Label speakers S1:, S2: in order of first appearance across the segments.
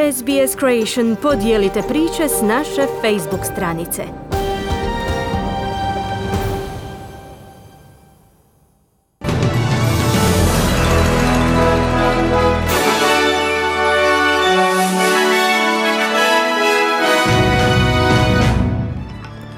S1: SBS Creation podijelite priče s naše Facebook stranice.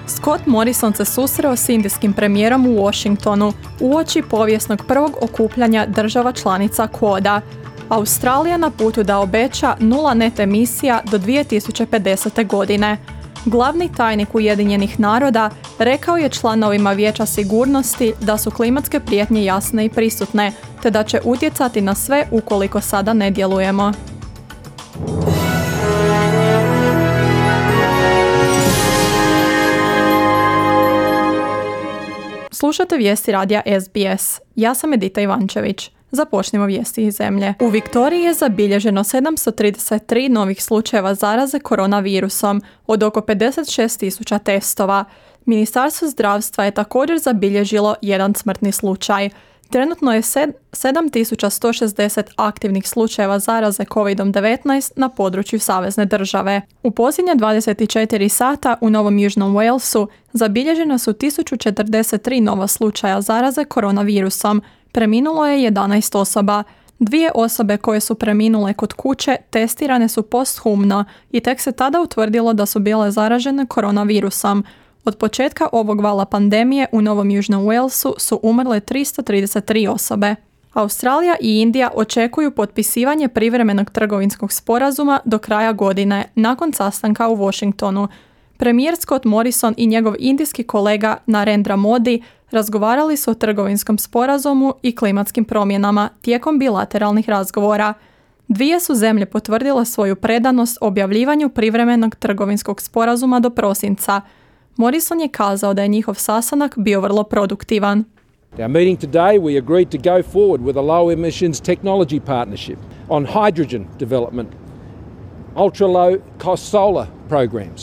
S2: Scott Morrison se susreo s indijskim premijerom u Washingtonu uoči povijesnog prvog okupljanja država članica Quada. Australija na putu da obeća 0 net emisija do 2050. godine. Glavni tajnik Ujedinjenih naroda rekao je članovima Vijeća sigurnosti da su klimatske prijetnje jasne i prisutne, te da će utjecati na sve ukoliko sada ne djelujemo. Slušate vijesti radija SBS. Ja sam Edita Ivančević. Započnimo vijesti iz zemlje. U Viktoriji je zabilježeno 733 novih slučajeva zaraze koronavirusom od oko 56.000 testova. Ministarstvo zdravstva je također zabilježilo jedan smrtni slučaj. Trenutno je 7.160 aktivnih slučajeva zaraze COVID-19 na području savezne države. U posljednje 24 sata u Novom Južnom Walesu zabilježeno su 1043 nova slučaja zaraze koronavirusom. Preminulo je 11 osoba. 2 osobe koje su preminule kod kuće testirane su posthumno i tek se tada utvrdilo da su bile zaražene koronavirusom. Od početka ovog vala pandemije u Novom Južnom Walesu su umrle 333 osobe. Australija i Indija očekuju potpisivanje privremenog trgovinskog sporazuma do kraja godine, nakon sastanka u Washingtonu. Premijer Scott Morrison i njegov indijski kolega Narendra Modi razgovarali su o trgovinskom sporazumu i klimatskim promjenama tijekom bilateralnih razgovora. Dvije su zemlje potvrdile svoju predanost objavljivanju privremenog trgovinskog sporazuma do prosinca. Morrison je kazao da je njihov sastanak bio vrlo produktivan.
S3: Our meeting today we agreed to go forward with a low emissions technology partnership on hydrogen development, ultra low cost solar programs.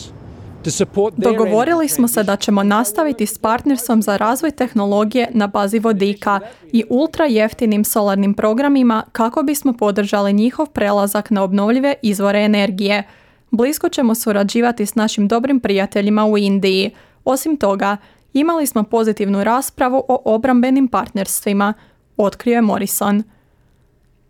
S2: Dogovorili smo se da ćemo nastaviti s partnerstvom za razvoj tehnologije na bazi vodika i ultra jeftinim solarnim programima kako bismo podržali njihov prelazak na obnovljive izvore energije. Blisko ćemo surađivati s našim dobrim prijateljima u Indiji. Osim toga, imali smo pozitivnu raspravu o obrambenim partnerstvima, otkrio je Morrison.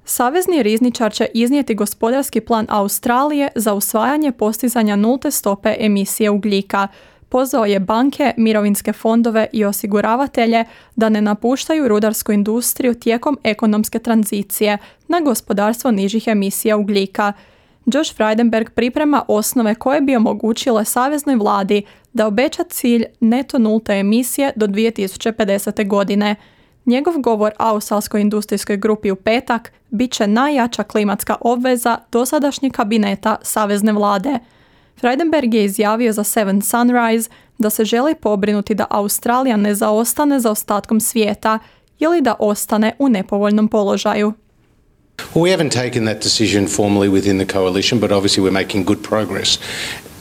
S2: Savezni rizničar će iznijeti gospodarski plan Australije za usvajanje postizanja nulte stope emisije ugljika. Pozvao je banke, mirovinske fondove i osiguravatelje da ne napuštaju rudarsku industriju tijekom ekonomske tranzicije na gospodarstvo nižih emisija ugljika. Josh Frydenberg priprema osnove koje bi omogućile saveznoj vladi da obeća cilj neto nulte emisije do 2050. godine. Njegov govor australskoj industrijskoj grupi u petak bit će najjača klimatska obveza dosadašnjeg kabineta savezne vlade. Frydenberg je izjavio za Seven Sunrise da se želi pobrinuti da Australija ne zaostane za ostatkom svijeta ili da ostane u nepovoljnom položaju.
S4: Well, we haven't taken that decision formally within the coalition, but obviously we're making good progress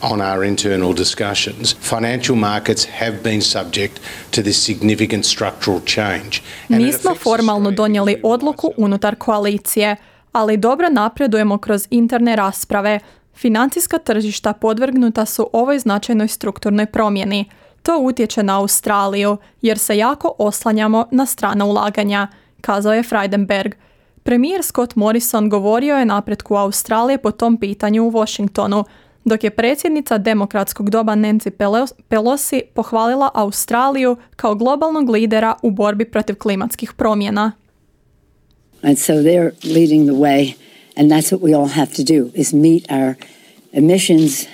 S4: on our internal discussions. Financial markets have been subject to this significant structural change.
S2: Nismo formalno donijeli odluku unutar koalicije, ali dobro napredujemo kroz interne rasprave. Financijska tržišta podvrgnuta su ovoj značajnoj strukturnoj promjeni. To utječe na Australiju, jer se jako oslanjamo na strana ulaganja, kazao je Frydenberg. Premijer Scott Morrison govorio je napretku Australije po tom pitanju u Washingtonu, dok je predsjednica demokratskog doba Nancy Pelosi pohvalila Australiju kao globalnog lidera u borbi protiv klimatskih promjena.
S5: And so they're leading the way, and that's what we all have to do, is meet our emissions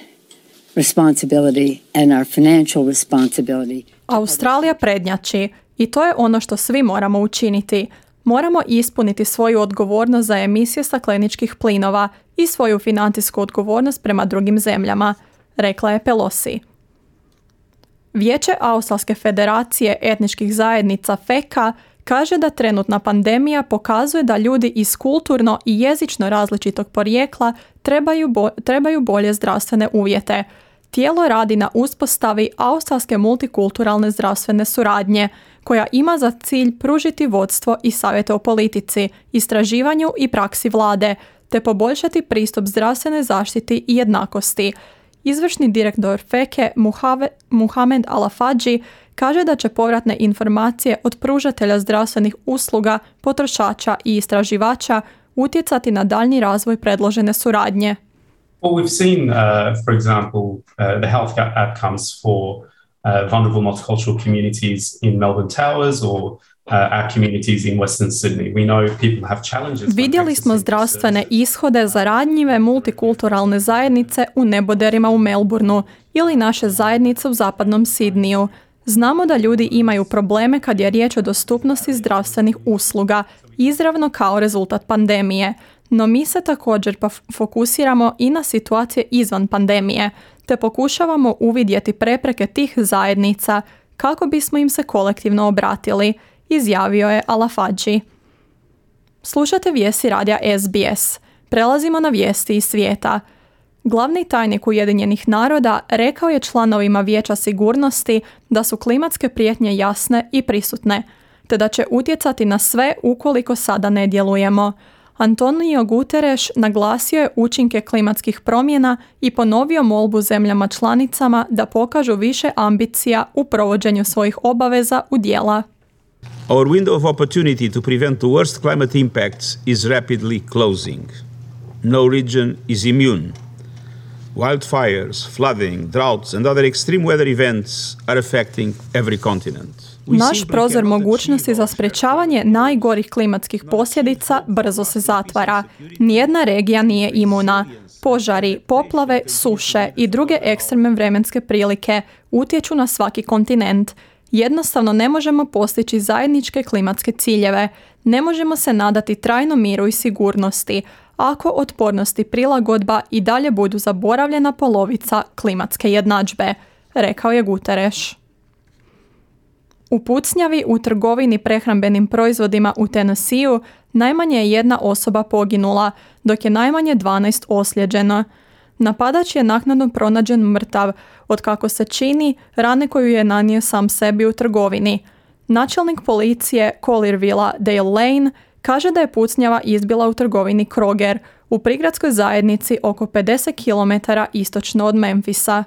S5: responsibility and our financial responsibility.
S2: Australija prednjači i to je ono što svi moramo učiniti. Moramo ispuniti svoju odgovornost za emisije stakleničkih plinova i svoju financijsku odgovornost prema drugim zemljama, rekla je Pelosi. Vijeće Australske federacije etničkih zajednica FECA kaže da trenutna pandemija pokazuje da ljudi iz kulturno i jezično različitog porijekla trebaju bolje zdravstvene uvjete. Tijelo radi na uspostavi australske multikulturalne zdravstvene suradnje, koja ima za cilj pružiti vodstvo i savjete o politici, istraživanju i praksi vlade, te poboljšati pristup zdravstvenoj zaštiti i jednakosti. Izvršni direktor FEKE Muhamed Al-Afadži kaže da će povratne informacije od pružatelja zdravstvenih usluga, potrošača i istraživača utjecati na daljnji razvoj predložene suradnje.
S6: Well, we've seen, for example, the health outcomes for vulnerable multicultural communities in Melbourne Towers or our communities in Western Sydney. We know people have challenges.
S2: Vidjeli smo zdravstvene ishode za ranjive multikulturalne zajednice u neboderima u Melbourneu ili naše zajednice u zapadnom Sidniju. Znamo da ljudi imaju probleme kad je riječ o dostupnosti zdravstvenih usluga, izravno kao rezultat pandemije. No mi se također fokusiramo i na situacije izvan pandemije, te pokušavamo uvidjeti prepreke tih zajednica kako bismo im se kolektivno obratili, izjavio je Al-Afadži. Slušate vijesti radija SBS. Prelazimo na vijesti iz svijeta. Glavni tajnik Ujedinjenih naroda rekao je članovima Vijeća sigurnosti da su klimatske prijetnje jasne i prisutne, te da će utjecati na sve ukoliko sada ne djelujemo. Antonio Guterres naglasio je učinke klimatskih promjena i ponovio molbu zemljama članicama da pokažu više ambicija u provođenju svojih obaveza u djela.
S7: Our window of opportunity to prevent the worst climate impacts is rapidly closing. No region is immune. Wildfires, flooding, droughts and other extreme weather events are affecting every continent.
S2: Naš prozor mogućnosti za sprječavanje najgorih klimatskih posljedica brzo se zatvara. Nijedna regija nije imuna. Požari, poplave, suše i druge ekstremne vremenske prilike utječu na svaki kontinent. Jednostavno ne možemo postići zajedničke klimatske ciljeve. Ne možemo se nadati trajnom miru i sigurnosti ako otpornost i prilagodba i dalje budu zaboravljena polovica klimatske jednadžbe, rekao je Guterres. U pucnjavi u trgovini prehrambenim proizvodima u Tennesseeu najmanje je jedna osoba poginula, dok je najmanje 12 ozlijeđeno. Napadač je naknadno pronađen mrtav, otkako se čini rane koju je nanio sam sebi u trgovini. Načelnik policije Colliervilla Dale Lane kaže da je pucnjava izbila u trgovini Kroger u prigradskoj zajednici oko 50 km istočno od Memphisa.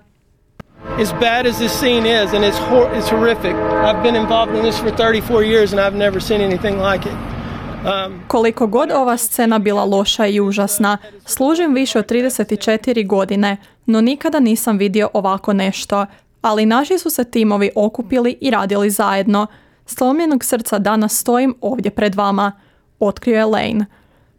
S8: As bad as this scene is, and it's horrific. I've been involved in this for 34 years and I've never seen anything like it.
S2: Koliko god ova scena bila loša i užasna, služim više od 34 godine, no nikada nisam vidio ovako nešto. Ali naši su se timovi okupili i radili zajedno. Slomljenog srca danas stojim ovdje pred vama, otkrio je Lane.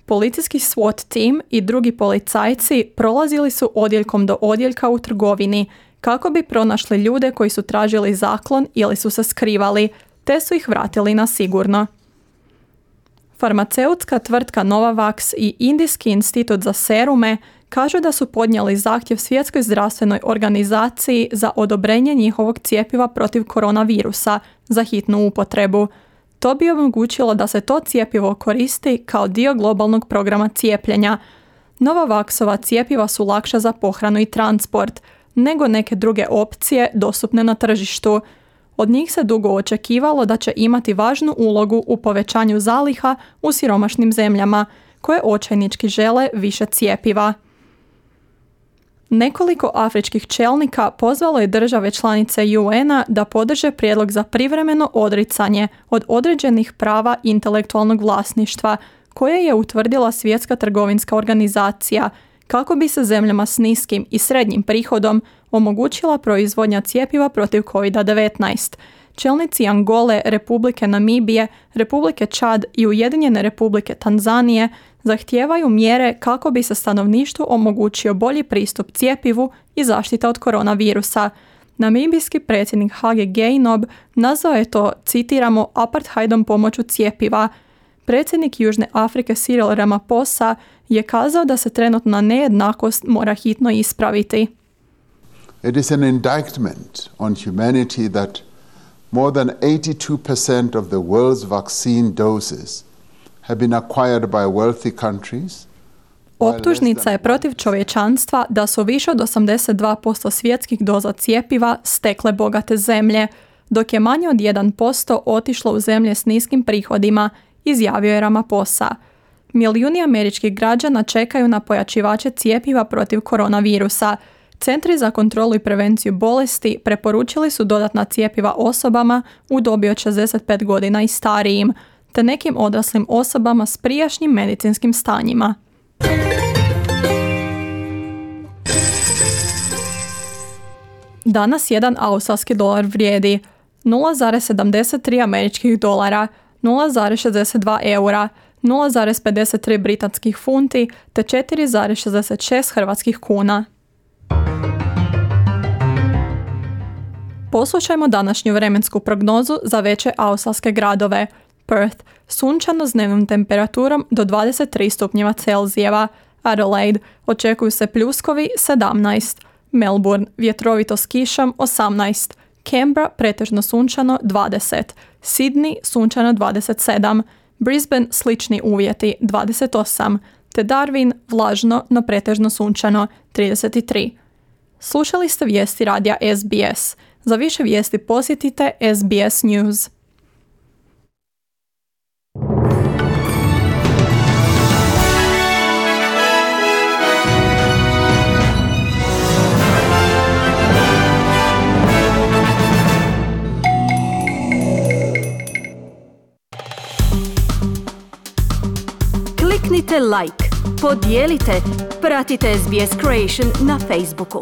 S2: Policijski SWAT tim i drugi policajci prolazili su odjeljkom do odjeljka u trgovini kako bi pronašli ljude koji su tražili zaklon ili su se skrivali, te su ih vratili na sigurno. Farmaceutska tvrtka Novavax i Indijski institut za serume kažu da su podnijeli zahtjev Svjetskoj zdravstvenoj organizaciji za odobrenje njihovog cjepiva protiv koronavirusa za hitnu upotrebu. To bi omogućilo da se to cjepivo koristi kao dio globalnog programa cijepljenja. Novavaxova cjepiva su lakša za pohranu i transport nego neke druge opcije dostupne na tržištu. Od njih se dugo očekivalo da će imati važnu ulogu u povećanju zaliha u siromašnim zemljama koje očajnički žele više cjepiva. Nekoliko afričkih čelnika pozvalo je države članice UN-a da podrže prijedlog za privremeno odricanje od određenih prava intelektualnog vlasništva koje je utvrdila Svjetska trgovinska organizacija kako bi se zemljama s niskim i srednjim prihodom omogućila proizvodnja cjepiva protiv COVID-19. Čelnici Angole, Republike Namibije, Republike Čad i Ujedinjene Republike Tanzanije zahtijevaju mjere kako bi se stanovništvu omogućio bolji pristup cjepivu i zaštita od koronavirusa. Namibijski predsjednik Hage Geingob nazvao je to, citiramo, apartheidom pomoću cjepiva. Predsjednik Južne Afrike Cyril Ramaphosa je kazao da se trenutna nejednakost mora hitno ispraviti.
S9: It is an indictment on humanity that more than 82% of the world's vaccine doses have been acquired by wealthy countries.
S2: Optužnica je protiv čovječanstva da su više od 82% svjetskih doza cjepiva stekle bogate zemlje, dok je manje od 1% otišlo u zemlje s niskim prihodima, izjavio je Ramaphosa. Milijuni američkih građana čekaju na pojačivače cjepiva protiv koronavirusa. Centri za kontrolu i prevenciju bolesti preporučili su dodatna cjepiva osobama u dobi od 65 godina i starijim, te nekim odraslim osobama s prijašnjim medicinskim stanjima. Danas jedan australski dolar vrijedi 0,73 američkih dolara, 0,62 eura, 0,53 britanskih funti te 4,66 hrvatskih kuna. Poslušajmo današnju vremensku prognozu za veće australske gradove. Perth, sunčano s dnevnom temperaturom do 23 stupnjeva Celzijeva. Adelaide, očekuju se pljuskovi 17. Melbourne, vjetrovito s kišom 18. Canberra, pretežno sunčano 20. Sydney, sunčano 27. Brisbane, slični uvjeti 28. Te Darwin, vlažno no pretežno sunčano 33. Slušali ste vijesti radija SBS. Za više vijesti posjetite SBS News.
S1: Kliknite like, podijelite, pratite SBS Creation na Facebooku.